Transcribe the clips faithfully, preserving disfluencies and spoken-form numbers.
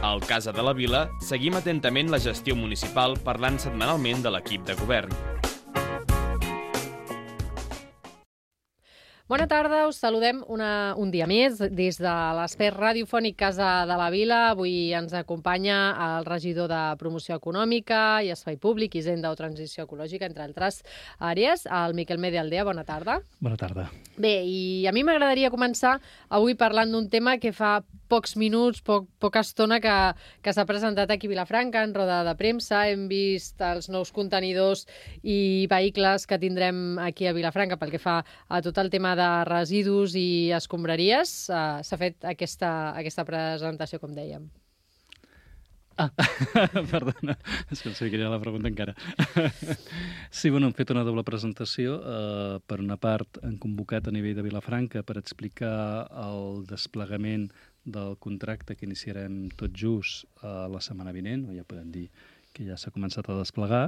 Al Casa de la Vila seguim atentament la gestió municipal parlant setmanalment de l'equip de govern. Bona tarda, us saludem una, un dia més des de l'espai radiofònic Casa de la Vila. Avui ens acompanya el regidor de Promoció Econòmica i Espai Públic, Hisenda o Transició Ecològica, entre altres àrees, el Miquel Medialdea. Bona tarda. Bona tarda. Bé, i a mi m'agradaria començar avui parlant d'un tema que fa pocs minuts, poc, poca estona que, que s'ha presentat aquí a Vilafranca en roda de premsa. Hem vist els nous contenidors i vehicles que tindrem aquí a Vilafranca pel que fa a tot el tema de residus i escombraries. Uh, s'ha fet aquesta, aquesta presentació, com dèiem. Ah, perdona, és que no sé quina era la pregunta encara. Sí, bueno, hem fet una doble presentació. Uh, per una part, hem convocat a nivell de Vilafranca per explicar el desplegament del contracte que iniciarem tot just uh, la setmana vinent, o ja podem dir que ja s'ha començat a desplegar,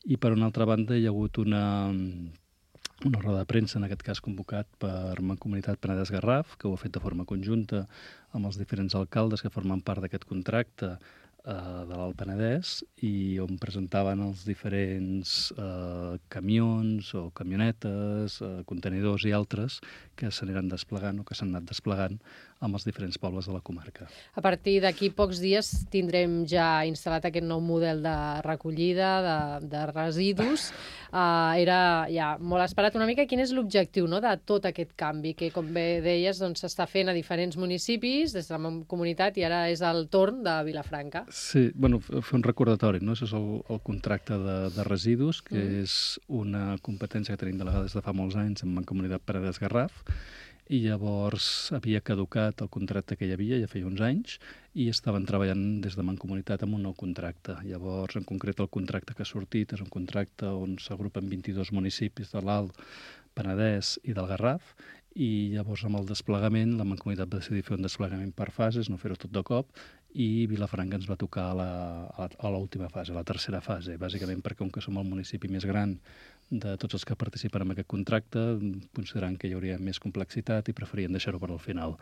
i per una altra banda hi ha hagut una, una roda de premsa, en aquest cas convocat per Mancomunitat Penedès-Garraf, que ho ha fet de forma conjunta amb els diferents alcaldes que formen part d'aquest contracte de l'Alt Penedès, i on presentaven els diferents eh, camions o camionetes, eh, contenidors i altres que s'aniran desplegant o que s'han anat desplegant amb els diferents pobles de la comarca. A partir d'aquí pocs dies tindrem ja instal·lat aquest nou model de recollida de, de residus. Uh, era ja molt esperat una mica. Quin és l'objectiu, no?, de tot aquest canvi que, com bé deies, doncs, s'està fent a diferents municipis des de la comunitat i ara és el torn de Vilafranca? Sí, bueno, fer un recordatori, no? Això és el, el contracte de, de residus, que mm. és una competència que tenim delegada des de fa molts anys en Mancomunitat Penedès-Garraf, i llavors havia caducat el contracte que hi havia, ja feia uns anys, i estaven treballant des de Mancomunitat amb un nou contracte. Llavors, en concret, el contracte que ha sortit és un contracte on s'agrupen vint-i-dos municipis de l'Alt Penedès i del Garraf, i llavors amb el desplegament la Mancomunitat va decidir fer un desplegament per fases, no fer-ho tot de cop, i Vilafranca ens va tocar a la, a l'última fase, a la tercera fase, bàsicament perquè com que som el municipi més gran de tots els que participen en aquest contracte, considerant que hi hauria més complexitat i preferien deixar-ho per al final.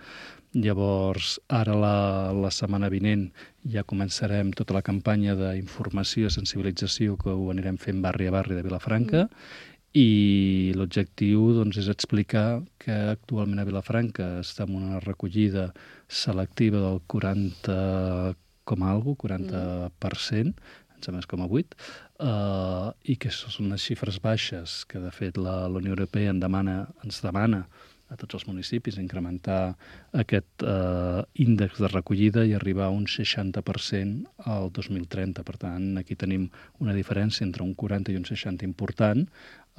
Llavors, ara la, la setmana vinent ja començarem tota la campanya d'informació i sensibilització que ho anirem fent barri a barri de Vilafranca, mm. i l'objectiu doncs, és explicar que actualment a Vilafranca estem en una recollida selectiva del quaranta com algo, quaranta per cent, em sembla com a vuit, uh, i que són unes xifres baixes que, de fet, la, la Unió Europea en demana, ens demana a tots els municipis incrementar aquest eh, índex de recollida i arribar a un seixanta per cent al dos mil trenta. Per tant, aquí tenim una diferència entre un quaranta i un seixanta important,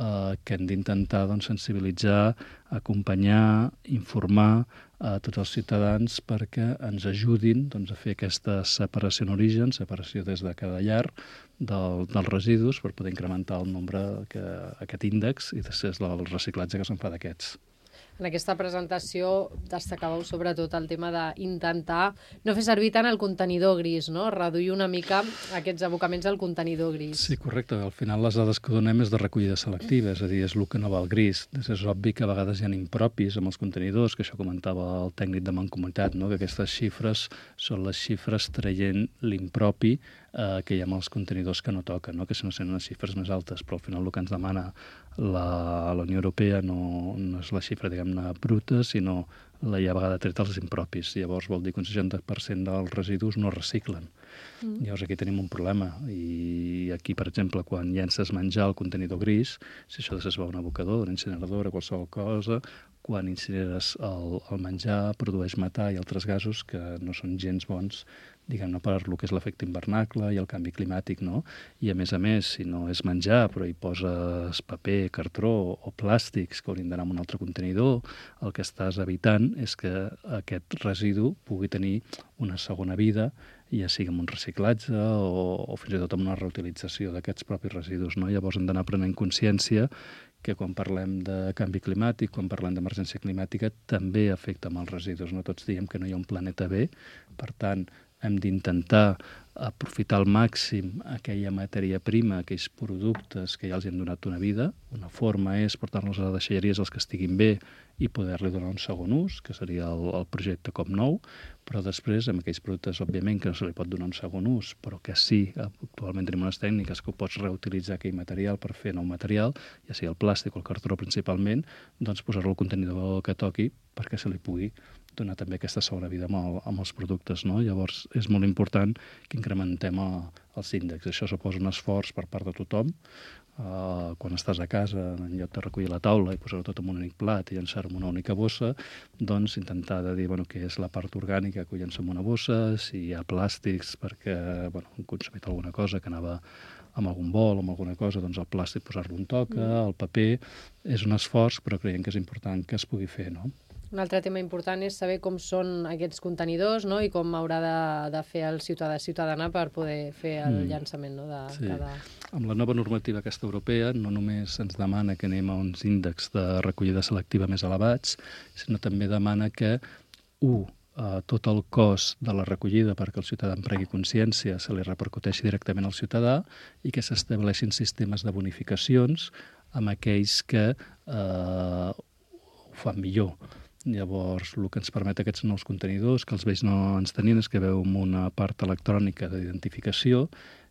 eh, que hem d'intentar doncs, sensibilitzar, acompanyar, informar a tots els ciutadans perquè ens ajudin doncs, a fer aquesta separació en origen, separació des de cada llar del, dels residus per poder incrementar el nombre, que, aquest índex, i després el reciclatge que se'n fa d'aquests. En aquesta presentació destacàveu sobretot el tema d'intentar no fer servir tant el contenidor gris, no? Reduir una mica aquests abocaments al contenidor gris. Sí, correcte. Al final les dades que donem és de recollida selectiva, és a dir, és el que no va al gris. És obvi que a vegades hi ha impropis amb els contenidors, que això comentava el tècnic de Mancomunitat, no? Que aquestes xifres són les xifres traient l'impropi eh, que hi ha amb els contenidors que no toquen, no? Que si no són les xifres més altes, però al final el que ens demana la, la Unió Europea no, no és la xifra, diguem-ne, bruta, sinó la ja a vegades treta els impropis. Llavors vol dir que un seixanta per cent dels residus no reciclen. Mm. Llavors aquí tenim un problema. I aquí, per exemple, quan llences menjar al contenidor gris, si això es va a un abocador, una incineradora, qualsevol cosa, quan incineres el, el menjar produeix metà i altres gasos que no són gens bons, diguem-ne, per el que és l'efecte hivernacle i el canvi climàtic, no? I a més a més, si no és menjar, però hi poses paper, cartró o plàstics que haurien d'anar en un altre contenidor, el que estàs evitant és que aquest residu pugui tenir una segona vida, ja sigui amb un reciclatge o, o fins i tot amb una reutilització d'aquests propis residus, no? Llavors hem d'anar prenent consciència que quan parlem de canvi climàtic, quan parlem d'emergència climàtica, també afecta amb els residus. No tots diem que no hi ha un planeta B, per tant, hem d'intentar aprofitar al màxim aquella matèria prima, aquells productes que ja els hem donat una vida. Una forma és portar-los a les deixalleries els que estiguin bé i poder-li donar un segon ús, que seria el, el projecte Com Nou, però després, amb aquells productes, òbviament, que no se li pot donar un segon ús, però que sí, actualment tenim unes tècniques que ho pots reutilitzar aquell material per fer nou material, ja sigui el plàstic o el cartró principalment, doncs posar-lo al contenidor que toqui perquè se li pugui donar també aquesta segona vida amb, el, amb els productes, no? Llavors, és molt important que incrementem a, els índexs. Això suposa un esforç per part de tothom. Uh, quan estàs a casa, en lloc de recollir la taula i posar-ho tot en un únic plat i llançar-ho en una única bossa, doncs intentar de dir bueno, què és la part orgànica que ho llença en una bossa, si hi ha plàstics perquè bueno, hem consumit alguna cosa que anava amb algun bol o amb alguna cosa, doncs el plàstic posar-lo un toca, el paper. És un esforç, però creiem que és important que es pugui fer, no? Un altre tema important és saber com són aquests contenidors, no? I com haurà de, de fer el ciutadà ciutadana per poder fer el mm. llançament, no? de sí. cada... Amb la nova normativa aquesta europea no només ens demana que anem a uns índexs de recollida selectiva més elevats, sinó també demana que, u, Uh, tot el cost de la recollida perquè el ciutadà en pregui consciència se li repercuteixi directament al ciutadà i que s'estableixin sistemes de bonificacions amb aquells que uh, ho fan millor. Llavors, el que ens permet aquests nous contenidors, que els vells no ens tenien, és que veu una part electrònica d'identificació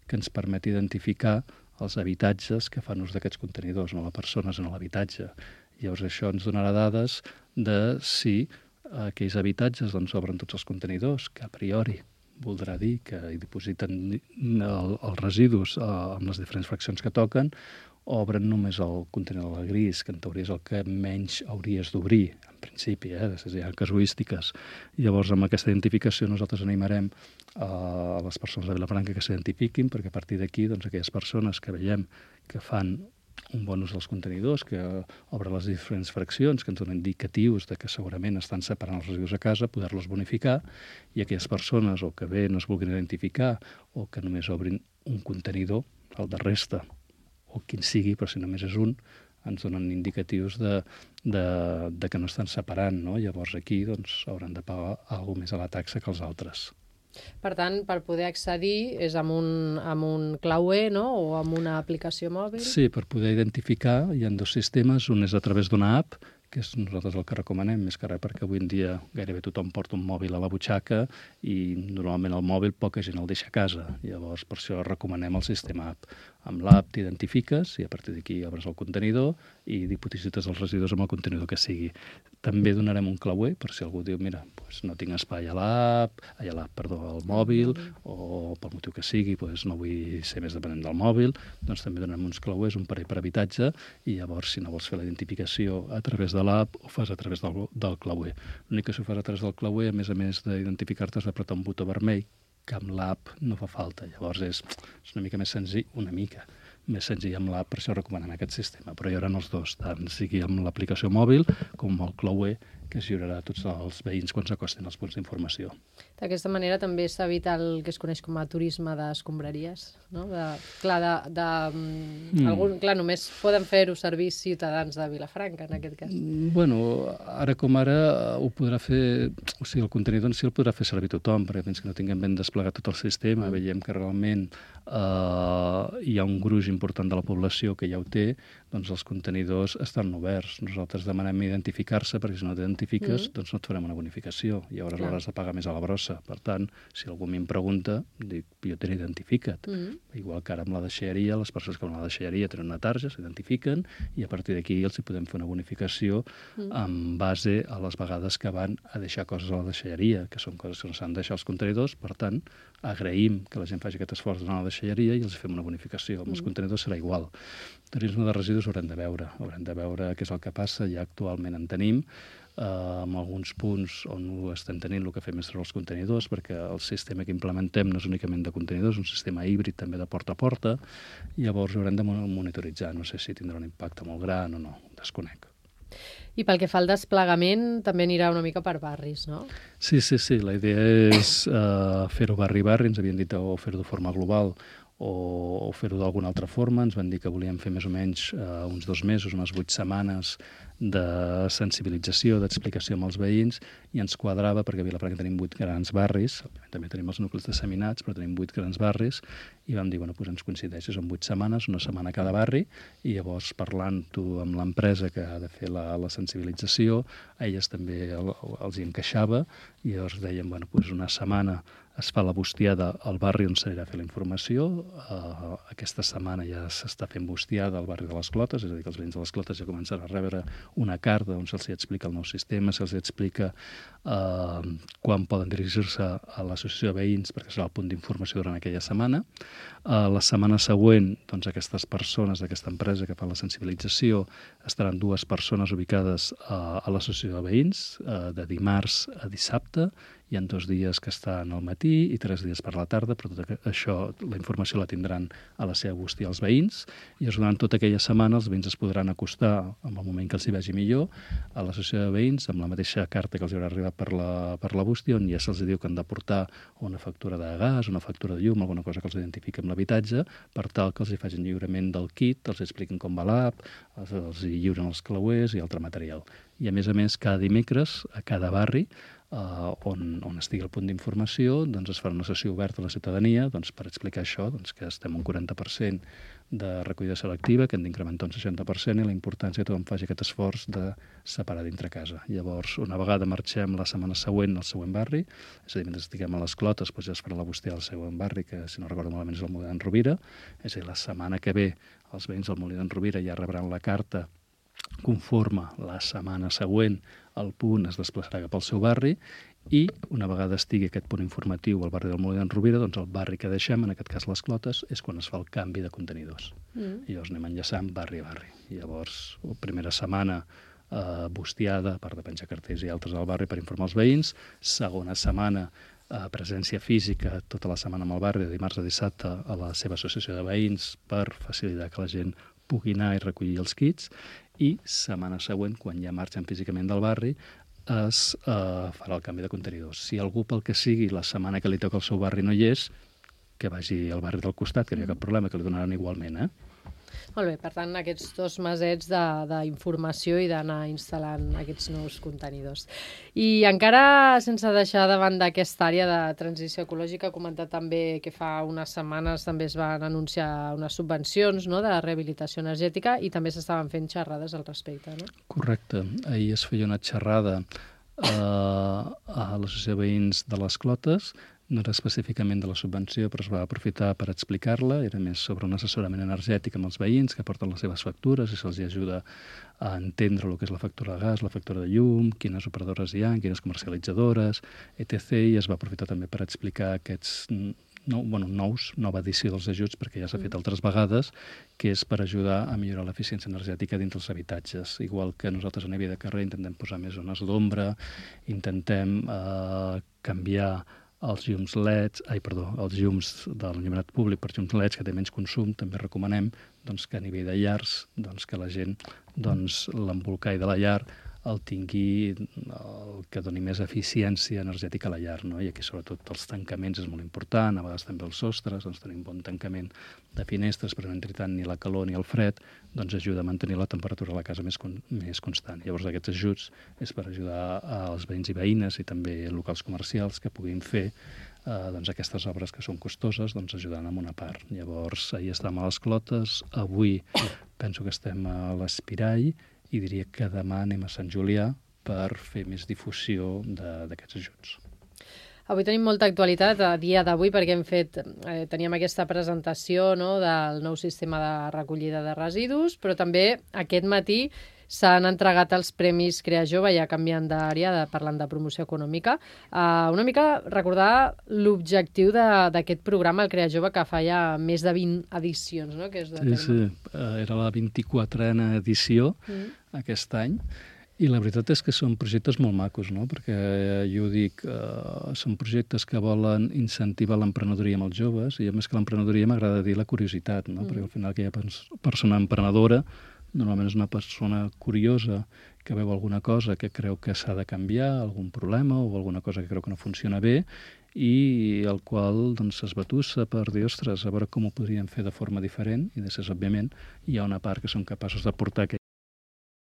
que ens permet identificar els habitatges que fan ús d'aquests contenidors, no les persones en l'habitatge. Llavors, això ens donarà dades de si aquells habitatges doncs, obren tots els contenidors, que a priori voldrà dir que hi dipositen el, els residus eh, amb les diferents fraccions que toquen, obren només el contenidor gris, que en teoria és el que menys hauries d'obrir, en principi, eh? Hi ha casuístiques. Llavors, amb aquesta identificació nosaltres animarem eh, a les persones de Vilafranca que s'identifiquin, perquè a partir d'aquí, doncs, aquelles persones que veiem que fan un bon ús dels contenidors, que obren les diferents fraccions, que ens donen indicatius de que segurament estan separant els residus a casa, poder-los bonificar, i aquelles persones o que bé no es vulguin identificar o que només obrin un contenidor, el de resta, o quin sigui, però si només és un, ens donen indicatius de, de, de que no estan separant, no? Llavors aquí doncs, hauran de pagar alguna més a la taxa que els altres. Per tant, per poder accedir és amb un, amb un clauer, no? O amb una aplicació mòbil? Sí, per poder identificar hi ha dos sistemes. Un és a través d'una app, que és nosaltres el que recomanem, més que res perquè avui en dia gairebé tothom porta un mòbil a la butxaca i normalment el mòbil poca gent el deixa a casa. Llavors, per això recomanem el sistema app. Amb l'app t'identifiques i a partir d'aquí obres el contenidor i diposites els residus amb el contenidor que sigui. També donarem un clauer per si algú diu, mira, doncs no tinc espai a l'app, a l'app, perdó, al mòbil, o pel motiu que sigui, doncs no vull ser més dependent del mòbil, doncs també donem uns clauers, un parell per habitatge, i llavors, si no vols fer la identificació a través de l'app, ho fas a través del, del clauer. L'únic que si ho fas a través del clauer, a més a més d'identificar-te, has d'apretar un botó vermell, que amb l'app no fa falta. Llavors és, és una mica més senzill, una mica més senzill amb l'app, per això recomanem aquest sistema. Però hi haurà els dos, tant sigui amb l'aplicació mòbil com amb el clauer, que es lliurarà a tots els veïns quan s'acostin als punts d'informació. D'aquesta manera també s'evita el que es coneix com a turisme d'escombraries, no? De, clar, de, de, mm. algun, clar, només poden fer-ho servir ciutadans de Vilafranca, en aquest cas. Bueno, ara com ara ho podrà fer, o sigui, el contenidor en si el podrà fer servir tothom, perquè fins que no tinguem ben desplegat tot el sistema, mm. veiem que realment eh, hi ha un gruix important de la població que ja ho té, doncs els contenidors estan oberts. Nosaltres demanem identificar-se, perquè si no t'identifiques, mm. doncs no et farem una bonificació. I llavors l'hauràs de pagar més a la brossa. Per tant, si algú m'hi pregunta, dic, jo t'he identificat. Mm. Igual que ara amb la deixalleria, les persones que van a la deixalleria tenen una tarja, s'identifiquen, i a partir d'aquí els hi podem fer una bonificació mm. en base a les vegades que van a deixar coses a la deixalleria, que són coses que no s'han de deixar als contenidors. Per tant, agraïm que la gent faci aquest esforç d'anar a la deixalleria i els fem una bonificació. Amb mm. els contenidors serà igual. Turisme de residus haurem de veure, haurem de veure què és el que passa, ja actualment en tenim, eh, en alguns punts on ho estem tenint, el que fem és treure els contenidors, perquè el sistema que implementem no és únicament de contenidors, és un sistema híbrid també de porta a porta, i llavors haurem de monitoritzar, no sé si tindrà un impacte molt gran o no, desconec. I pel que fa al desplegament, també anirà una mica per barris, no? Sí, sí, sí, la idea és eh, fer-ho barri-barri, ens havien dit o fer-ho de forma global, o fer-ho d'alguna altra forma. Ens van dir que volíem fer més o menys eh, uns dos mesos, unes vuit setmanes de sensibilització, d'explicació amb els veïns, i ens quadrava, perquè a Vilafranca tenim vuit grans barris, òbviament també tenim els nuclis disseminats, però tenim vuit grans barris, i vam dir, bueno, doncs ens coincideix, són vuit setmanes, una setmana a cada barri, i llavors parlant-ho amb l'empresa que ha de fer la, la sensibilització, a elles també el, els hi encaixava, i llavors dèiem, bueno, doncs una setmana es fa la bustiada al barri on s'anirà a fer la informació. Uh, aquesta setmana ja s'està fent bustiada al barri de les Clotes, és a dir, que els veïns de les Clotes ja començaran a rebre una carta on se'ls explica el nou sistema, se'ls explica uh, quan poden dirigir-se a l'associació de veïns, perquè serà el punt d'informació durant aquella setmana. Uh, la setmana següent, doncs, aquestes persones d'aquesta empresa que fa la sensibilització estaran dues persones ubicades uh, a l'associació de veïns, uh, de dimarts a dissabte. Hi ha dos dies que estan al matí i tres dies per la tarda, però tot això, la informació la tindran a la seva bústia els veïns, i durant tota aquella setmana els veïns es podran acostar en el moment que els hi vagi millor a l'associació de veïns amb la mateixa carta que els haurà arribat per la, per la bústia, on ja se'ls diu que han de portar una factura de gas, una factura de llum, alguna cosa que els identifiqui amb l'habitatge, per tal que els hi facin lliurament del kit, els expliquin com va l'app, els, els hi lliuren els clauers i altre material. I a més a més, cada dimecres, a cada barri, Uh, on, on estigui el punt d'informació, doncs es farà una sessió oberta a la ciutadania doncs, per explicar això, doncs, que estem un quaranta per cent de recollida selectiva, que hem d'incrementar un seixanta per cent, i la importància que tothom faci aquest esforç de separar dintre casa. Llavors, una vegada marxem la setmana següent al següent barri, és a dir, mentre estiguem a les Clotes, doncs ja es farà la bústia al següent barri, que si no recordo malament és el Molí d'en Rovira, és a dir, la setmana que ve els veïns del Molí d'en Rovira ja rebran la carta conforme la setmana següent el punt es desplaçarà cap al seu barri, i una vegada estigui aquest punt informatiu al barri del Molí d'en Rovira, doncs el barri que deixem, en aquest cas les Clotes, és quan es fa el canvi de contenidors. Mm. I llavors anem enllaçant barri a barri. I llavors, primera setmana eh, bustiada, a part de penjar cartells i altres al barri per informar els veïns, segona setmana eh, presència física tota la setmana amb el barri, de dimarts a dissabte a la seva associació de veïns per facilitar que la gent pugui anar i recollir els kits, i setmana següent, quan ja marxen físicament del barri, es eh, farà el canvi de contenidors. Si algú, pel que sigui, la setmana que li toca al seu barri no hi és, que vagi al barri del costat, que no hi ha cap problema, que li donaran igualment, eh? Molt bé, per tant, aquests dos mesets d'informació i d'anar instal·lant aquests nous contenidors. I encara, sense deixar de banda aquesta àrea de transició ecològica, ha comentat també que fa unes setmanes també es van anunciar unes subvencions, no?, de rehabilitació energètica, i també s'estaven fent xerrades al respecte, no? Correcte. Ahir es feia una xerrada eh, a l'Associació de Veïns de les Clotes. No era específicament de la subvenció, però es va aprofitar per explicar-la. Era més sobre un assessorament energètic amb els veïns que porten les seves factures i se'ls ajuda a entendre el que és la factura de gas, la factura de llum, quines operadores hi ha, quines comercialitzadores, etcètera. I es va aprofitar també per explicar aquests no, bueno, nous, nova edició dels ajuts, perquè ja s'ha fet altres vegades, que és per ajudar a millorar l'eficiència energètica dintre els habitatges. Igual que nosaltres a nivell de carrer intentem posar més zones d'ombra, intentem eh, canviar els llums L E Ds, ai, perdó, els llums de l'enllumenat públic per llums L E Ds, que té menys consum, també recomanem doncs, que a nivell de llars, doncs, que la gent, doncs, l'embolcall de la llar el tingui, el que doni més eficiència energètica a la llar, no? I aquí sobretot els tancaments és molt important, a vegades també els sostres, doncs tenim bon tancament de finestres, però no entri tant ni la calor ni el fred, doncs ajuda a mantenir la temperatura a la casa més, con més constant. Llavors aquests ajuts és per ajudar als veïns i veïnes i també locals comercials que puguin fer eh, doncs aquestes obres que són costoses, doncs ajudant amb una part. Llavors ahir estàvem a les Clotes, avui penso que estem a l'Espirall, i diria que demà anem a Sant Julià per fer més difusió d'aquests ajuts. Avui tenim molta actualitat, a dia d'avui, perquè hem fet, eh, teníem aquesta presentació, no?, del nou sistema de recollida de residus, però també aquest matí s'han entregat els Premis Crea Jove, ja canviant d'àrea, de, parlant de promoció econòmica. Uh, una mica recordar l'objectiu d'aquest programa, el Crea Jove, que fa ja més de vint edicions, no?, que és de sí, sí, era la vint-i-quatrena edició mm. aquest any. I la veritat és que són projectes molt macos, no? Perquè jo dic, eh, són projectes que volen incentivar l'emprenedoria amb els joves, i a més que l'emprenedoria m'agrada dir la curiositat, no? Mm. Perquè al final aquella persona emprenedora normalment és una persona curiosa que veu alguna cosa que creu que s'ha de canviar, algun problema o alguna cosa que creu que no funciona bé, i el qual doncs, es batussa per dir, ostres, a veure com ho podríem fer de forma diferent, i després, òbviament, hi ha una part que són capaços de portar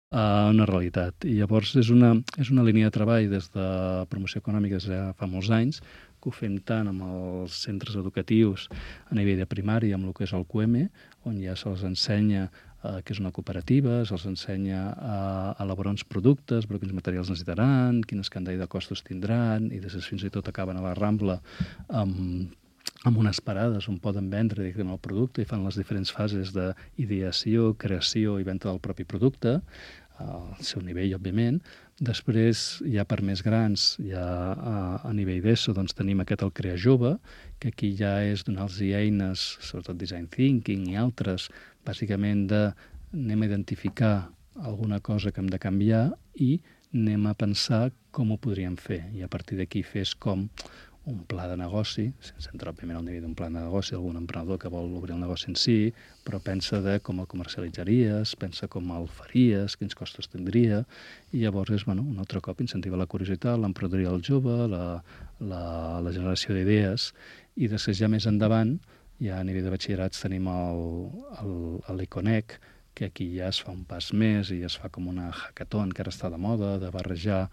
a una realitat. I llavors és una, és una línia de treball des de promoció econòmica des de fa molts anys, que ho fem tant amb els centres educatius a nivell de primària, amb el que és el Q M, on ja se'ls ensenya eh, que és una cooperativa, se'ls ensenya a elaborar uns productes, però quins materials necessitaran, quin escandall de costos tindran, i després fins i tot acaben a la Rambla amb amb unes parades on poden vendre directament el producte i fan les diferents fases d'ideació, creació i venda del propi producte, al seu nivell, òbviament. Després, ja per més grans, ja a, a nivell d'ESO, doncs tenim aquest el Crea Jove, que aquí ja és donar-los eines, sobretot design thinking i altres, bàsicament de anem a identificar alguna cosa que hem de canviar i anem a pensar com ho podríem fer. I a partir d'aquí fes com un pla de negoci, sense entrar òbviament al nivell d'un pla de negoci, algun emprenedor que vol obrir el negoci en si, però pensa de com el comercialitzaries, pensa com el faries, quins costos tindria, i llavors és, bueno, un altre cop incentiva la curiositat, l'emprenedoria del jove, la, la, la generació d'idees, i després ja més endavant, ja a nivell de batxillerats tenim l'Econec, que aquí ja es fa un pas més i es fa com una hackathon que ara està de moda, de barrejar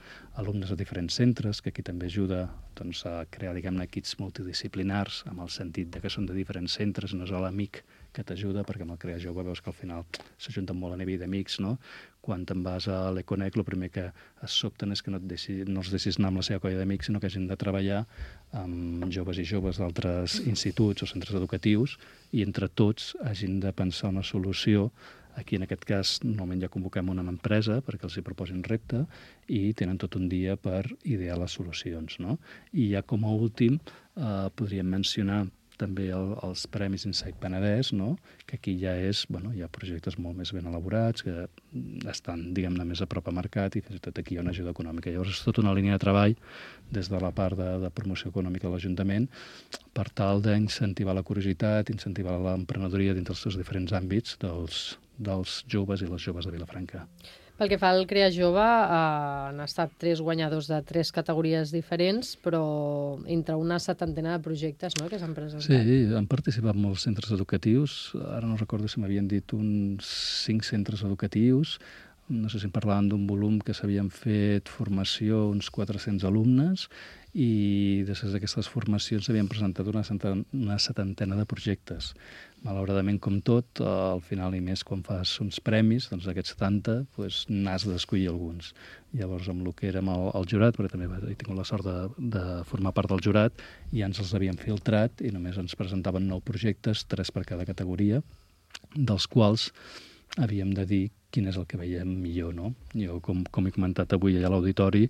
alumnes de diferents centres, que aquí també ajuda doncs, a crear, diguem-ne, equips multidisciplinars, amb el sentit de que són de diferents centres, no és l'amic que t'ajuda, perquè amb el Crea Jove veus que al final s'ajunten molt a nivell d'amics, no? Quan te'n vas a l'Econec, el primer que es sobten és que no, et deixi, no els deixis anar amb la seva colla d'amics, sinó que hagin de treballar amb joves i joves d'altres instituts o centres educatius i entre tots hagin de pensar una solució. Aquí, en aquest cas, normalment ja convoquem una empresa perquè els hi proposin repte i tenen tot un dia per idear les solucions, no? I ja com a últim eh, podríem mencionar també el, els Premis Insight Penedès, no? Que aquí ja és, bueno, hi ha projectes molt més ben elaborats, que estan, diguem-ne, més a prop a mercat i fins i tot aquí hi ha una ajuda econòmica. Llavors és tota una línia de treball des de la part de, de promoció econòmica de l'Ajuntament per tal d'incentivar la curiositat, incentivar l'emprenedoria dins dels seus diferents àmbits dels, dels joves i les joves de Vilafranca. Pel que fa al Crea Jove, eh, han estat tres guanyadors de tres categories diferents, però entre una setantena de projectes, no?, que s'han presentat. Sí, han participat molts centres educatius. Ara no recordo si m'havien dit uns cinc centres educatius. No sé si em parlaven d'un volum que s'havien fet formació uns quatre-cents alumnes i després d'aquestes formacions s'havien presentat una setantena, una setantena de projectes. Malauradament, com tot, al final i més quan fas uns premis, doncs d'aquests setanta doncs, n'has d'escollir alguns. Llavors, amb el que érem el, el jurat, perquè també he tingut la sort de, de formar part del jurat, ja ens els havíem filtrat i només ens presentaven nou projectes, tres per cada categoria, dels quals havíem de dir quin és el que veiem millor, no? Jo, com, com he comentat avui allà a l'auditori,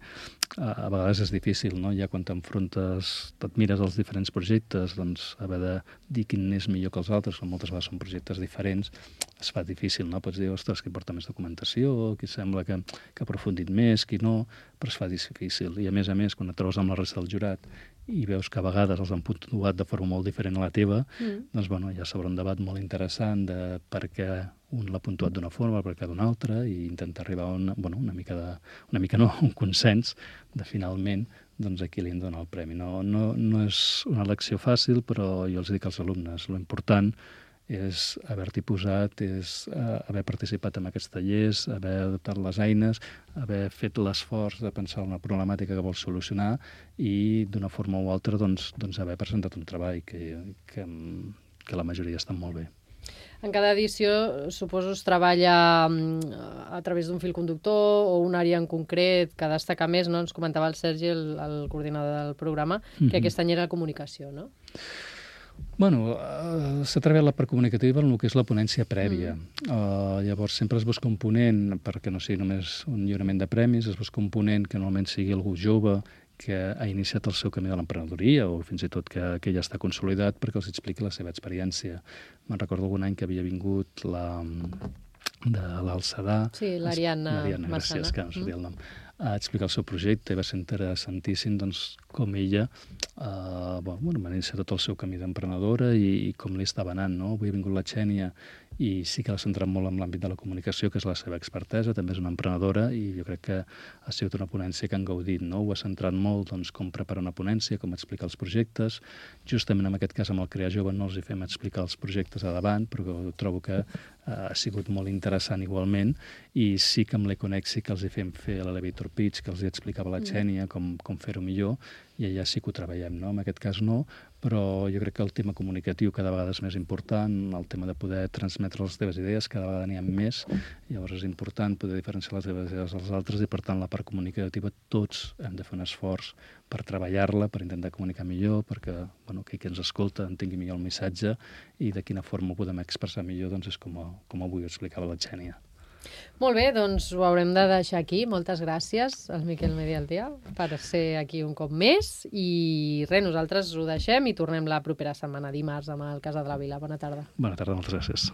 a vegades és difícil, no? Ja quan t'enfrontes, t'admires els diferents projectes, doncs haver de dir quin és millor que els altres, que moltes vegades són projectes diferents, es fa difícil, no? Pots dir, ostres, qui porta més documentació, qui sembla que, que ha aprofundit més, qui no, però es fa difícil. I a més a més, quan et trobes amb la resta del jurat i veus que a vegades els han puntuat de forma molt diferent a la teva, mm. doncs bueno, ja s'obre un debat molt interessant de per què un l'ha puntuat d'una forma, per què d'una altra, i intentar arribar a una, bueno, una mica de, una mica no, un consens de finalment doncs a qui li hem de donar el premi. No, no, no és una elecció fàcil, però jo els dic als alumnes, lo important és haver-t'hi posat, és uh, haver participat en aquests tallers, haver adoptat les eines, haver fet l'esforç de pensar en una problemàtica que vols solucionar i d'una forma o altra doncs, doncs haver presentat un treball que, que, que la majoria estan molt bé. En cada edició, suposo, es treballa a través d'un fil conductor o una àrea en concret que destaca més, no? Ens comentava el Sergi, el, el coordinador del programa, que mm-hmm. aquest any era la comunicació, no? Bueno, uh, s'ha treballat la part comunicativa en el que és la ponència prèvia. Mm. Uh, llavors, sempre es busca un ponent, perquè no sigui només un lliurament de premis, es busca un ponent que normalment sigui algú jove, que ha iniciat el seu camí de l'emprenedoria o fins i tot que, que ja està consolidat perquè els expliqui la seva experiència. Me'n recordo algun any que havia vingut la de l'Alçadà. Sí, l'Ariadna L'Ariadna, gràcies, que no sabia el nom. A explicar el seu projecte i va ser interessantíssim doncs, com ella Uh, bueno, va iniciar tot el seu camí d'emprenedora i, i com li estava anant, no? Avui ha vingut la Xènia i sí que l'ha centrat molt en l'àmbit de la comunicació, que és la seva expertesa, també és una emprenedora i jo crec que ha sigut una ponència que han gaudit, no? Ho ha centrat molt, doncs, com preparar una ponència, com explicar els projectes. Justament en aquest cas amb el Crear Jove no els hi fem explicar els projectes a davant, però trobo que uh, ha sigut molt interessant igualment i sí que amb l'Econex sí que els hi fem fer l'elevator pitch, que els hi explicava la Xènia, com, com fer-ho millor, i allà sí que ho treballem, no? En aquest cas no, però jo crec que el tema comunicatiu cada vegada és més important, el tema de poder transmetre les teves idees, cada vegada n'hi ha més, llavors és important poder diferenciar les teves idees dels altres i, per tant, la part comunicativa tots hem de fer un esforç per treballar-la, per intentar comunicar millor, perquè bueno, aquell que ens escolta entengui millor el missatge i de quina forma ho podem expressar millor, doncs és com, a, com avui ho explicava la Xènia. Molt bé, doncs ho haurem de deixar aquí. Moltes gràcies al Miquel Medialdea per ser aquí un cop més i res, nosaltres ho deixem i tornem la propera setmana, dimarts, amb el Casa de la Vila. Bona tarda. Bona tarda, moltes gràcies.